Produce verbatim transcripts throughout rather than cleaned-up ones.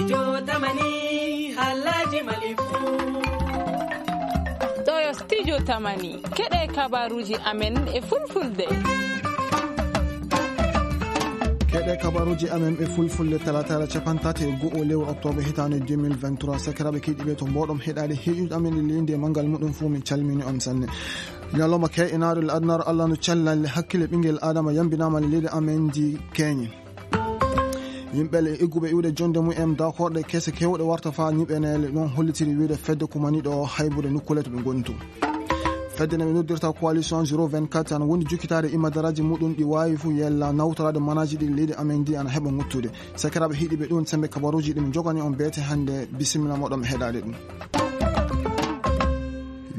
Studio Tamani, haalaaji Mali fuu. Ɗoo yo Studio Tamani, keɗee kabaaruuji amen e Fulfulde. Keɗee kabaaruuji amen e Fulfulde, talaataare capanɗe tati e go'o lewru oktoobar hitaande deux mille vingt-trois. Sakiraaɓe keɗiiɓe, to mbooɗon heɗaade heɗiiɗo amen e leydi e manngal muɗum fuu, min calminii on sanne. Ñalawma ke'inaaɗo le adunaaru Alla no cellal le hakkille ɓinngel Aadama yambinaama le leydi amen ndi Keñe. Yimɓe le egguɓe iwde jonnde mum en, daakorɗe kese keewɗe warta faa ñiɓaneede, ɗum hollitiri wiyde fedde kumaniiɗo haybude nokkuule to ɓe ngoni too. Fedde nde ɓe noddirta Coalition zéro vingt-quatre ana wondi jokkitaade imadaraaji muɗum ɗi waawi fuu yella nawtoraade manaaji ɗi leydi amen ndi ana heɓa ŋuttude. Sakiraaɓe heɗiiɓe, ɗum sembe kabaaruuji ɗi min njoganii on beete hannde. Bisimilla mooɗon e heɗaade ɗum.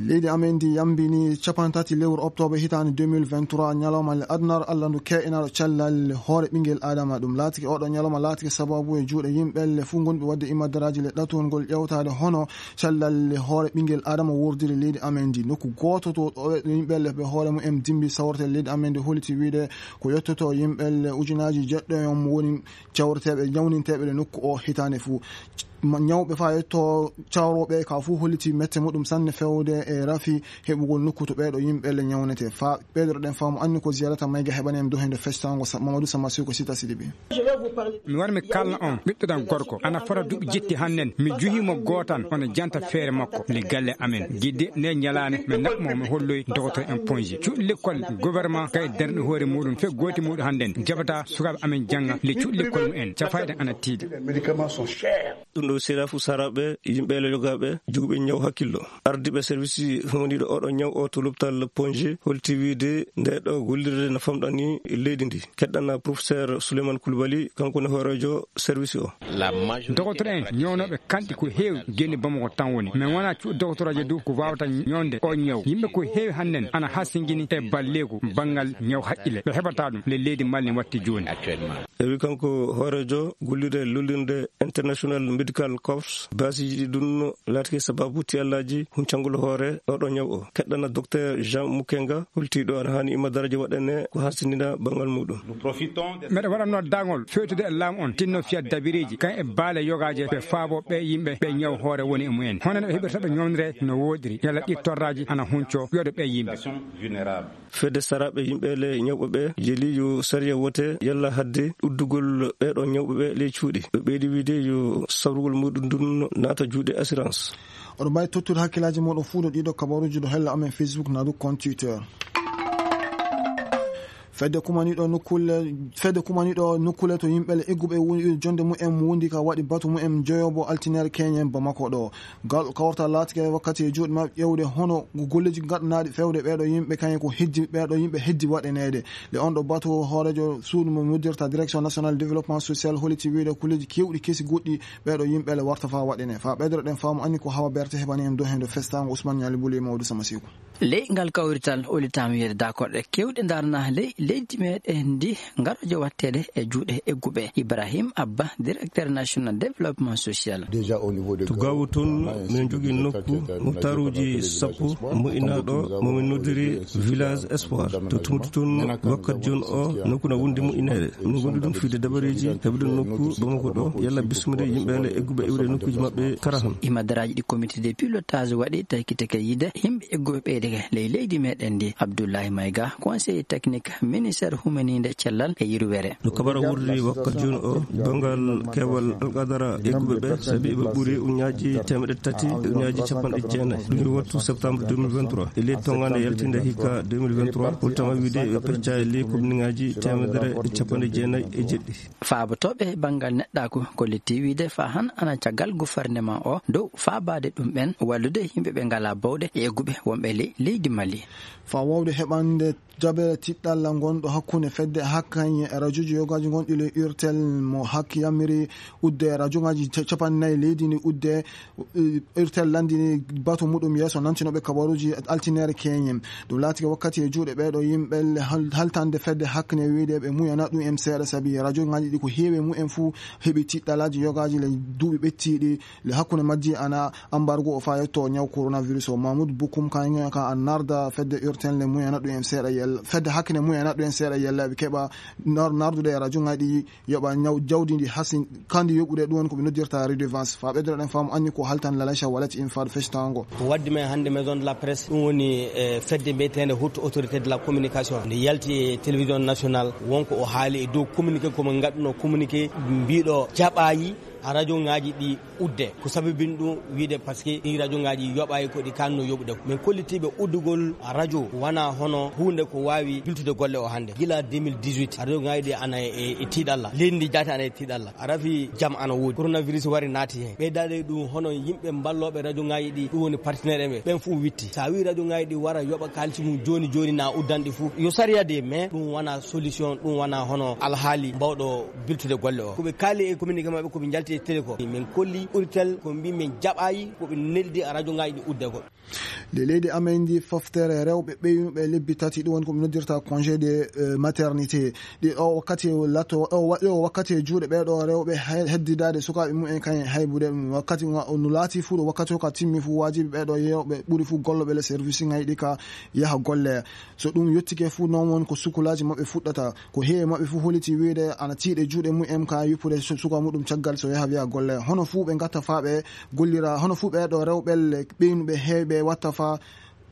Leydi amen ndi yambinii capanɗe tati lewru oktoobar hitaande deux mille vingt-trois, ñalawma le adunaaru Alla ndu ke'inaaɗo cellal le hoore ɓinngel Aadama. Ɗum laatike, oɗo ñalawma laatike sabaabu e juuɗe yimɓe le fuu ngonɓe waɗde imadaraaji le ɗatungol ƴeewtaade hono cellal le hoore ɓinngel Aadama wurdiri leydi amen ndi. Nokku gooto to ɗo yimɓe le ɓe hoore mum en dimbi sawrete leydi amen ndi holliti wiyde ko yottoto yimɓe le ujunaaji jeɗɗo en mo woni cawreteeɓe, ñawninteeɓe le nokku o hitaande fuu. Ma-, ñawɓe faa yetto cawrooɓe ka fuu holliti mette muɗum sanne fewde e rafi heɓugol nokku to ɓeeɗo yimɓe le ñawnetee. Faa ɓeydoreɗen faamu anni ko Ziyarata Mayga heɓani en dohinde festango Sa-, Mamadou Sama Siko Sita Sidibe. Mi wara mi kaalna on ɓiɗɗo ɗan gorko, ana fota duuɓi jetti hannen, mi juhii mo gootan, ono janta feere makko le galle amen. Gidde ne ñalaane, mi naɓ mo, mi holloy dogotor en ponji. Cuuɗi lekkol governement kay darni hoore muɗum, fe gooti muɗum hannden jaɓata sukaaɓe amen jannga le cuuɗi lekkol mum en, cafayɗe ana tiiɗi. Ɗum ɗo sera fu saraaɓe, yimɓe le yogaaɓe, joguɓe ñaw hakkillo. Ardiiɓe service humaniiɗo oɗo ñaw o to lopital Ponje holti wiide nde ɗo gollirde no famɗani leydi ndi. Keɗɗana professeur Souleymane Koulibaly, kanko ne hooreejo service o. Dogotor en ñawnooɓe kanɗi ko heewi, geni Bamako tan woni. Men wona cuuɗi dogotoraaji du ko waawata ñawnde o ñaw. Yimɓe ko heewi hannden ana hasingini e balleeku banngal ñaw haqqille. Ɓe heɓata ɗum le leydi Mali watti jooni. E wi kanko hooreejo gollirde lollirde International Medical Corps, baasiiji ɗi ɗum laatike sababu tiyallaaji huncangol hoore oɗo ñaw o. Keɗɗana Docteur Jean Mukenga, holtiiɗo ana haani ima daraja waɗane ko hasindina banngal muɗum. Meɗa waɗa noddaangol fewtude e laamu on, tinno fiya dabireeji, kan e baale yogaaje, ɓe faabo ɓe yimɓe ɓe ñaw hoore woni e mumen. Hono no ɓe heɓirta ɓe ñawnire no wooɗiri, yalla ɗi torraaji ana hunco, yoɗo ɓe yimɓe. Fedde saraaɓe yimɓe le ñawɓe ɓe yeli yo sariya wote yalla hadde uddugol ɓeeɗo ñawɓe ɓe ley cuuɗi. Ɓe ɓeydi wiide yo sawrugol muɗum ndun naata juuɗe assurance. Oɗo mbaawi tottude hakkillaaji mooɗon fuu ɗo ɗiɗo kabaaruuji ɗo hella amen Facebook naa du compte Twitter. Fedde kumaniiɗo nokkuule, fedde kumaniiɗo nokkuule to yimɓe le egguɓe wo-, jonde mumen wondi ka waɗi batu mumen joyobo altineere keñen Bamako ɗo. Gal kawrata laatike wakkati e juuɗe maɓɓe ƴeewde hono golleeji gaɗanaaɗi fewde ɓeeɗo yimɓe, kañum ko heddi, ɓeeɗo yimɓe heddi waɗaneede. Le on ɗo batu hooreejo suudu mo noddirta Direction Nationale Développement Social holliti wiide kulleeji keewɗi kesi goɗɗi ɓeeɗo yimɓe le warta faa waɗanee. Faa ɓeydoroɗen faamu anni ko Hawa Berte heɓani en dow heen ɗo festaango Ousmane Ñaali Buli e Mawdu Sama Siku. Ley ngal kawrital, hollitaama wiyeede daakorɗe keewɗe ndaarnaa ley leydi meɗen ndi, ngarooje watteede e juuɗe egguɓe. Ibrahim Abba, directeur national développement social. To Gaawo toon, min njogii nokku, moktaaruuji sappo, moƴƴinaaɗo, mo min noddiri Village Espoir. To Tumbutu toon, wakkati jooni o, nokku na wondi moƴƴineede. Min ngondi ɗum fiyde dabareeji, heɓude nokku Bamako ɗo, yalla bisminde yimɓe le egguɓe iwde nokkuuji maɓɓe karahan. Imadaraaji ɗi comité de pilotage waɗi, taykitake yiide yimɓe egguɓe ɓeydeke ley leydi meɗen ndi. Abdoulaye Maïga, conseiller technique, ministère humaniinde cellal e yirwere. No kabara wurri wakkati jooni o, banngal keewal alqadara egguɓe ɓe, sabi ɓe ɓuri ujunnaaji teemedde tati e ujunnaaji cappanɗe jeenayi. Ɗum yo wattu septembre deux mille vingt-trois. E ley tonngande yaltinde hikka deux mille vingt-trois, holtama wiide ɓe pecca e ley komniŋaaji teemedere e cappanɗe jeenayi e jeɗɗi. Faabotooɓe banngal neɗɗaaku kolliti wiide faa han ana caggal gufarnema o dow faabaade ɗum ɓen wallude yimɓe ɓe ngalaa bawɗe e egguɓe wonɓe ley leydi Mali. Faa waawde heɓande jaɓere tiɗɗalla ngonɗo hakkunde fedde hakkañe e rajooji yogaaji ngonɗi ley Urtel mo hakki yamiri udde rajooŋaaji ca-, cappanɗe nayi leydi ndi udde, eh, Urtel lanndini batu muɗum yeeso nantinooɓe kabaruuji altineere keñen. Ɗum laatike wakkati e juuɗe ɓeeɗo yimɓe le hal-, haltande fedde hakkune wiide ɓe muyana ɗum en seeɗa sabi rajooŋaaji ɗi ko heewi e mumen fuu heɓi tiɗɗalaaji yogaaji le duuɓi ɓettiiɗi le hakkunde majji ana ambargo o faa yetto ñaw coronavirus o. Mahmoud Boukoum ka narda fedde urtenle mumen naɗɗu en seeɗa yella, fedde hakkine mumen naɗɗu en seeɗa yella, ɓe keɓa nar-, nardude e rajo ngaji ɗi, yoɓa ñaw-, jawdi ndi hasi kandi yoɓude, ɗum woni ko ɓe noddirta redevance. Faa ɓeydoɗen faamu anni ko haltan Lalacha Wallet in faa ɗo fectaango. Ko waddi men hannde Maison de la Presse, ɗum woni, e, fedde mbiyeteende Haute Autorité de la Communication. Nde yalti e télévision nationale, won ko o haali e dow communiqué, ko mo ngaɗuno communiqué, mbiɗo jaɓaayi a rajo ngaji ɗi udde. Ko sababini ɗum wiide, parce que ɗi rajo ngaji yoɓayi ko ɗi kanno yoɓude. Min kollitiiɓe uddugol rajo wana hono huunde ko waawi biltude golle o hannde. Gila deux mille dix-huit, rajo ngaji ɗi ana e, e tiiɗalla. Leydi ndi jaati ana e tiiɗalla. A rafi jam ana woodi. Coronavirus wari naati hen. Ɓeydaade ɗum hono yimɓe mballooɓe rajo ngaji ɗi, ɗum woni partenaire en ɓe. Ɓen fof witti. Sa wi rajo ngaji ɗi wara yoɓa kaalisi mum jooni jooni na uddan ɗi fof. Yo sariya de, mais ɗum wana solution, ɗum wana hono alhaali mbawɗo biltude golle o. Ko ɓe kaali e communiqué maɓɓe, ko ɓe njalti e télé ko. Min kolli Uritel, ko mbi min jaɓayi, ko ɓe neldi a rajo ngaji ɗi udde ko. Nde leydi amen ndi foftere rewɓe ɓeynuɓe lebbi tati, ɗum woni ko ɓe noddirta congé de, eh, maternité. Ɗi o wakkati lato, o wa-, o wakkati e juuɗe ɓee ɗoo rewɓe hay-, heddidaade sukaaɓe mumen kañum haybude ɗum. Wakkati nga, no laati fuu ɗo wakkati o ka timmi fuu, waajibi ɓee ɗoo yewɓe ɓuri fuu golloɓe le service ngaji ɗi ka yaha golle. So ɗum yottike fuu, noon woni ko sukulaaji maɓɓe fuɗɗata. Ko heewi maɓɓe fof holliti wiyde ana tiiɗe juuɗe mumen ka yuppude su-, suka muɗum caggal so yaha wiya golle. Hono fuu ɓe ngatta faa ɓe gollira, hono fuu ɓee ɗoo rewɓe le ɓeynuɓe heewɓe watta faa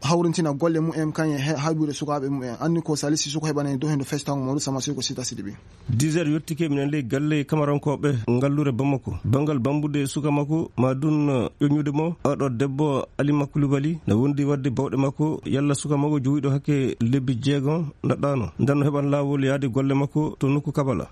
hawrintina golle mumen kañum e he-, haybude sukaaɓe mumen. Anni ko Salisu Suko heɓanee dow hendo fectango mawɗo Sama Suko Sita Sidibi. Dix heures yottike, minen ley galle Kamarankooɓe ngallure Bamako. Banngal bambude suka makko, ma dun ƴoññude mo, oɗo debbo Alima Kulibali, na wondi wadde bawɗe makko, yalla suka makko jowiiɗo hakke lebbi jeegom naɗɗaano. Nden no heɓan laawol yaade golle makko to nokku Kabala.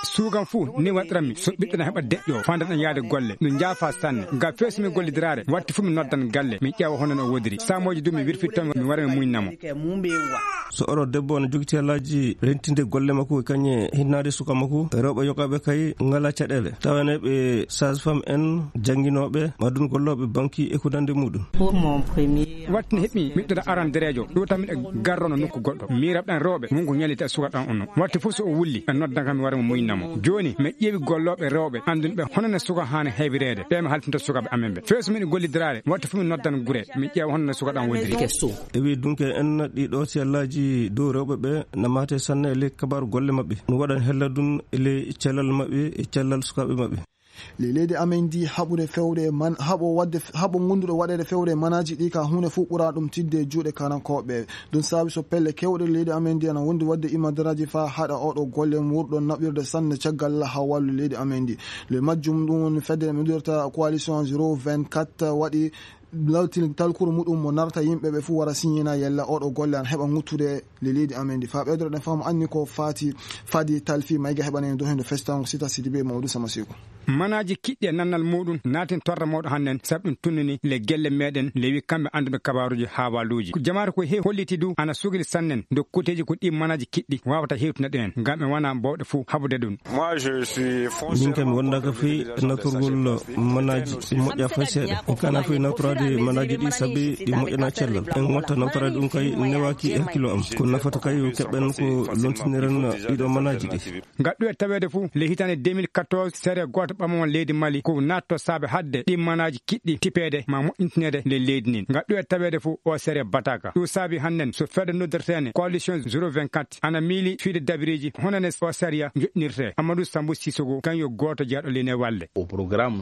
Suugan fuu, ni waɗiranmi. So ɓiɗɗo na heɓa deƴƴo, fandan en yaade golle. No njaafa sanne. Ngam fee so mi gollidiraare, watti fuu mi noddan galle. Mi ƴeewa hono no o wodiri. Saamooji duu mi wirfitto mo, mi wara mi muñna mo. So oɗo debbo no jogiti haalaaji rentinde golle makko, kañe hinnaade suka makko, rewɓe yogaaɓe kay ngalaa caɗeele. Tawanee ɓe sage-femme en, jannginooɓe, ma dun gollooɓe banki e ko nandi muɗum. Watti no heɓmi miɗɗo arandereejo, ɗuutanmi e garrono nokku goɗɗo. Miiraɓe ɗan rewɓe, won ko ñalliti e suka ɗan on non. Watti fof so o wulli, ɓe noddan kam mi wara mi muñna mo. Jooni, mi ƴeewi gollooɓe rewɓe, anndunɓe hono no suka haani heewireede. Ɓe mi haltinta sukaaɓe amen ɓe. Fee so miɗo gollidiraare, watti fof mi noddan gure, mi ƴeewa hono no suka ɗan woniri. E wii dunke en, ɗii ɗoo sellaaji dow rewɓe ɓe na maate sanne e ley kabaaru golle maɓɓe. No waɗan hella dun e ley cellal maɓɓe e cellal sukaaɓe maɓɓe. Ley leydi amen ndi haɓude fewde man-, haɓo waɗde f-, haɓo gonduɗo waɗeede fewde manaaji ɗi ka huunde fof ɓura ɗum tiiɗde e juuɗe kanankooɓe. Ɗum saabi so pelle keewɗe leydi amen ndi ana wondi waɗde imadaraaji faa haɗa oɗo golle muurɗo naɓirde sanne caggal haa wallu leydi amen ndi. Le majjum ɗum woni fedde nde noddirta coalition zéro vingt-quatre waɗi lawtil talkuru muɗum mo narata yimɓe ɓe fuu wara siñina yalla oɗo golle ana heɓa ŋuttude le leydi amen ndi. Faa ɓeydoro ɗen faamu anni ko faati, fadi talfi mayga heɓanen dow hendo festango Sita Sidibe Mawdu Sama Seku. Manaaji kiɗɗi e nannal muuɗum naatin torra mawɗo hannden, sabu ɗum tunnini le gelle meeɗen, le wi kamɓe annduɓe kabaaruuji haawaaluuji. Ko jamaare ko heewi holliti du ana sugli sannen dow kuuteeji ko ɗii manaaji kiɗɗi waawata hewtinande en, ngam en wanaa baawɗe fuu haɓude ɗum. Min kam mi wondaaka fii natorgol manaaji ɗi moƴƴaa fay seeɗa. En kaanaa fii nawtoraade manaaji ɗi sabi ɗi moƴƴanaa cellal. En watta nawtoraade ɗum kay newaaki e hakkillo am. Ko nafata kay yo keɓen ko lontiniren ɗiɗo manaaji ɗi. Ngaɗɗu e taweede fuu, le hitaande deux mille quatorze, sere gooto ɓamamo leydi Mali, ko naatto saabe haɗde ɗi manaaji kiɗɗi tipeede ma moƴƴintineede le leydi ndin. Ngaɗɗu e taweede fuu, o sere bataaka. Ɗum saabi hannden, so fedde noddirteene Coalition zéro vingt-quatre ana miili fiide dabireeji, hono ne o sariya joɗɗinirtee. Amadou Sambou Sissoko, kañum yo gooto jeyaaɗo leydi e walde.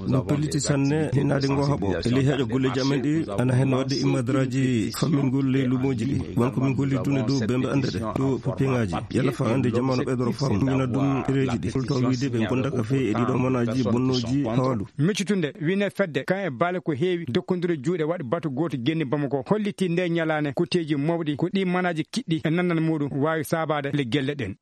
No pelliti sanne hinaade ngoo haɓo. E ley heƴa golleeji amen ɗi, ana hen waɗde immadaraaji fammingol ley luumooji ɗi. Won ko min golli dun e dow bembe annde ɗe, dow papiyeŋaaji. Yalla faa annde jamaanu ɓeydoro faamu. Mina dun ɗereeji ɗi. Holto wiide ɓe gonda ka fee e ɗiɗo manaaji bonnooji hawaalu. Miccitunde, wine fedde, kan e baale ko heewi, dokkondire juuɗe waɗi batu gooto genni Bamako, holliti nde ñalaande kuteeji mawɗi, ko ɗi manaaji kiɗɗi e nannal muuɗum waawi saabaade le gelle ɗen.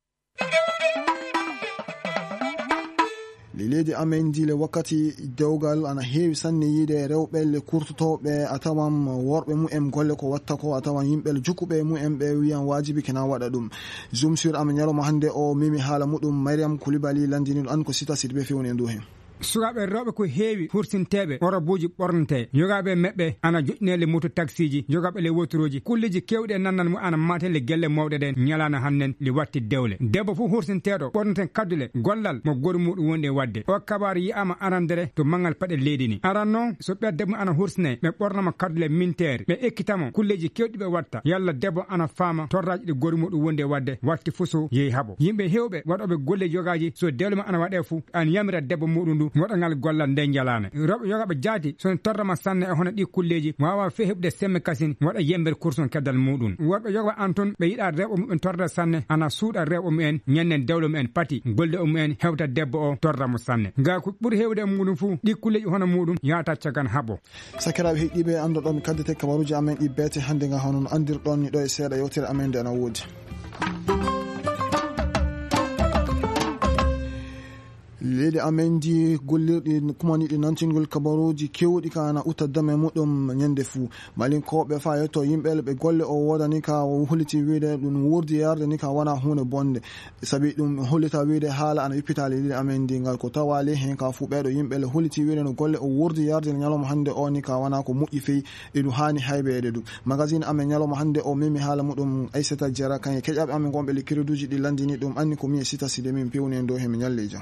Le leydi amen ndi le wakkati dewgal ana heewi sanne yiide rewɓe le kurtotooɓe a tawan worɓe mumen golle ko watta ko a tawan yimɓe le jukkuɓe mumen ɓe wiyan waajibi kena waɗa ɗum. Zoom sur amen ñalawma hannde o memi haala muɗum Mariam Koulibaly lanndini ɗum an ko Sita Sidibé fewni e ndu hen. Sukaaɓe rewɓe ko heewi hursinteeɓe orobuuji ɓornetee. Yogaaɓe e maɓɓe ana joɗɗinee le moto taksiiji, yogaaɓe le wotorooji. Kulleeji keewɗi e nannal mum ana maate le gelle mawɗe ɗen ñalaande hannden le watti dewle. Debbo fof hursinteeɗo ɓorneten kaddule gollal mo goɗo muɗum wondi e waɗde. O kabaaru yi'aama arandere to manngal paɗe leydi ni. Aran noon, so ɓiya debbo ana hursinee, ɓe ɓornama kaddule minteeri, ɓe ekkitamo kulleeji keewɗi ɓe watta. Yalla debbo ana faama torraaji ɗi goɗo muɗum wondi e waɗde, watti fof so yehi haɓo. Yimɓe heewɓe waɗooɓe golle yogaaji, so dewle mum ana waɗee fuu, ana yamira debbo muɗum ndu waɗa ngal gollal ndee njalaane. Rewɓe yogaaɓe jaati, so ne torrama sanne e hono ɗii kulleeji, waawaa fey heɓude semme kasin waɗa yembere kursun keddal muɗum. Worɓe yogaaɓe an tun, ɓe yiɗaa rewɓe muɓɓen torrede sanne, ana suuɗa rewɓe mumen, ñannen dewle mumen pati, golle mumen hewta debbo o torra mo sanne. Ngaa ko ɓuri heewde e muɗum fuu, ɗii kulleeji hono muɗum yaata cagan haɓo. Sakiraaɓe heɗiiɓe, anndoɗon kaddete kabaruuji amen ɗi beete hannde nga, hono no anndirɗon ni ɗo e seeɗa yewtere amen nde ana woodi. Leydi amen ndi gollirɗi kumaniiɗi nantingol kabaruuji keewɗi ka ana utta dame muɗum ñande fuu. Malinkooɓe faa yetto yimɓe ɓe golle o woodani ka o holliti wiide ɗum wuurdi yarde ni ka wona huunde bonde. Sabi ɗum hollita wiide haala ana wippita leydi amen ndi ngal ko tawaali hen ka fuu ɓeeɗo yimɓe le holliti wiide no golle o wuurdi yarde ñalawma hannde o ni ka wona ko moƴƴi fey. Iɗum haani haybeede ɗum. Magazine amen ñalawma hannde o memi haala muɗum Aissata Diarra, kañe keƴaaɓe amen gonɓe le créduuji ɗi lanndini ɗum anni ko mi e Sita Sidi min pewni en dow he mi ñalle e jam.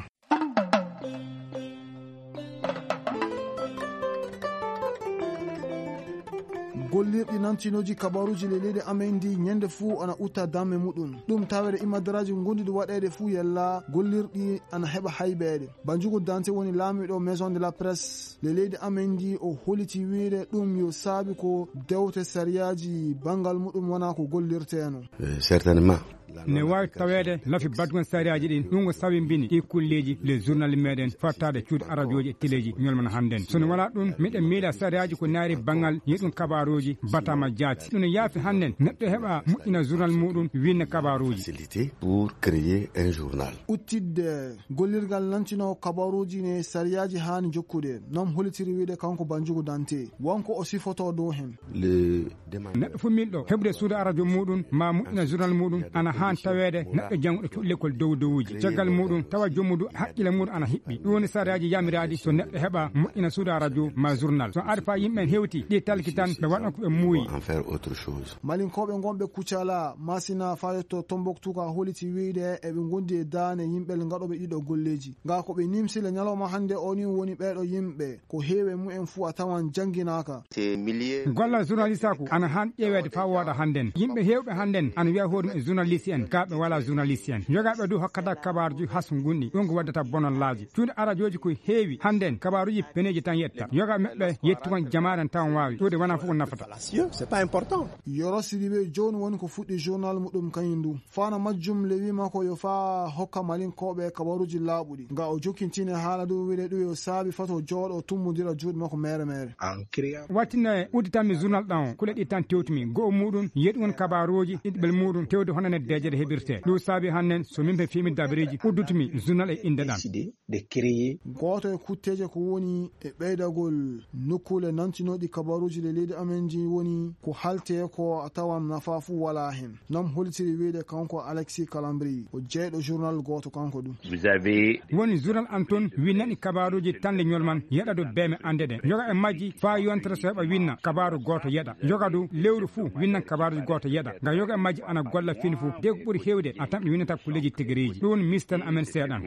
Gollirɗi nantinooji kabaruuji le leydi amen ndi ñande fuu ana utta damme muɗum. Ɗum taweede imadaraaji ngonduɗi waɗeede fuu yella gollirɗi ana heɓa haybeede. Banjugu Dante woni laamiiɗo Maison de la Presse le leydi amen ndi, o holliti wiide ɗum yo saabi ko dewte sariyaaji banngal muɗum wona ko gollirteeno. Eh, certainement. Ne waawi taweede lafi baɗgol sariyaaji ɗin, ɗum ko sabimbini ɗii kulleeji le journal meɗen fottaade cuuɗi arajooji e teleeji ñolmana hannden. So no walaa ɗum, miɗen miila sariyaaji ko naari banngal yeɗum kabaruuji batama jaati. Ɗum no yaafi hannden neɗɗo heɓa moƴƴina journal muɗum, winna kabaruuji. Facilité pour créer un journal. Uttidde gollirgal nantinoo kabaruuji ne sariyaaji haani jokkude, non hollitiri wiide kanko Banjugu Dante. Won ko o sifotoo dow hen. Le Neɗɗo fof miilɗo heɓude suudu arajo muɗum maa moƴƴina journal muɗum ana haan taweede neɗɗo jannguɗo cuuɗi lekkol dow dowuuji. Caggal muɗum tawa joomudu haqqille muɗum ana hiɓɓi. Ɗum woni sariyaaji yaamiraaɗi so neɗɗo heɓa moƴƴina suudu arajo maa journal. So ari faa yimɓe ɓen hewti ɗi talki tan ɓe waɗan ko ɓe muuyi. En faire autre chose. Malinkooɓe ngonɓe Kucala, Masina, faa yetto Tombouctou ka holliti wiide eɓe ngondi e daane yimɓe gaɗooɓe ɗiɗo golleeji. Ngaa ko ɓe nimsi le ñalawma hannde o ni woni ɓeeɗo yimɓe. Ko heewi e mumen fuu a tawan jannginaaka. Gollal journalistaaku ana haan ƴeeweede faa wooɗa hannden. Yimɓe heewɓe hannden ana wiya hoore mum e journaliste en, kaa ɓe walaa journaliste en. Yogaaɓe du hokkata kabaaruuji haskungunɗi, ɗum ko waddata bonallaaji. Cuuɗi arajooji ko heewi hannden, kabaaruuji peneeji tan yetta. Yogaaɓe maɓɓe yetti kon jamaare n tawan waawi. Ɗuuɗe wanaa fof ko nafata. Yoro Sidibe jooni woni ko fuɗɗi journal muɗum kañum du. Fano majjum le wii makko yo faa hokka Malinkooɓe kabaruuji laaɓuɗi. Nga o jokkintini haala du wiide ɗum yo saabi faa o jooɗo tummondira juuɗe makko meere meere. Wattinna e udditanmi journal ɗan o, kule ɗi tan tewtumi. Go'o muɗum, yeɗugol kabaruuji ɗiɗi ɓel muɗum tewde hono ne deeƴere heɓirtee. Ɗum saabi hannden so min ɓe fimi dabareeji uddutumi journal e innde ɗan. Gooto e kutteeje ko woni e ɓeydagol nokkuule nantinooɗi kabaruuji le leydi amen ndi woni ko haltee ko a tawan nafaa fuu walaa hen. Noon hollitiri wiide kanko Alexis Calambri, ko jeyɗo journal gooto kanko ɗum. Woni journal an toon winnaɗi kabaaruuji tan le ñol man yeɗa dow beeme annde ɗe. Yoga e majji faa yontere so heɓa winna kabaaru gooto yeɗa. Yoga du lewru fuu winnan kabaaruuji gooto yeɗa. Nga yoga e majji ana golla fini fuu. De ko ɓuri heewde a tan ɓe winnata kulleeji tigiriiji. Ɗum woni mistan amen seeɗan.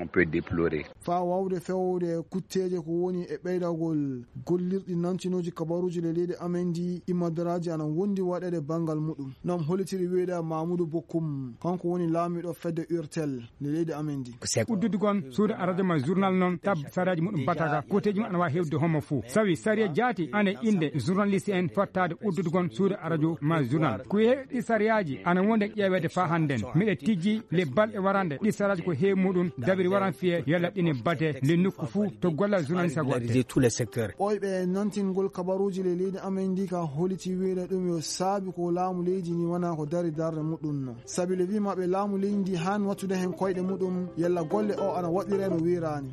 Faa waawde fewde kutteeje ko woni e ɓeydagol gollirɗi nantinooji kabaruuji le leydi amen ndi, immadaraaji ana wondi waɗeede banngal muɗum. Noon hollitiri wiide Mamudu Bokkum, kanko woni laamiiɗo fedde urtel le leydi amen ndi. Uddude gon suudu arajo ma journal noon tab sariyaaji muɗum bataka, kutteeji mum ana waawi heewde homo fuu. Sawi sariya jaati ana e innde journaliste en fottaade uddude gon suudu arajo ma journal. Ko heewi ɗi sariyaaji ana wonde ƴeeweede faa hannden. Miɗe tijji le balɗe warande ɗi sariyaaji ko heewi muɗum dabiri waran fiyee yalla ɗine batee le nokku fuu to gollal journaliste waɗtee. Ɓooyɓe e nantingol kabaruuji le leydi amen ndi ka holliti wiide ɗum yo saabi ko laamu leydi ndi wona ko dari darnde muɗum no. Sabi le wii maɓɓe laamu leydi ndi haan wattude hen koyɗe muɗum yalla golle o ana waɗiree no wiiraani.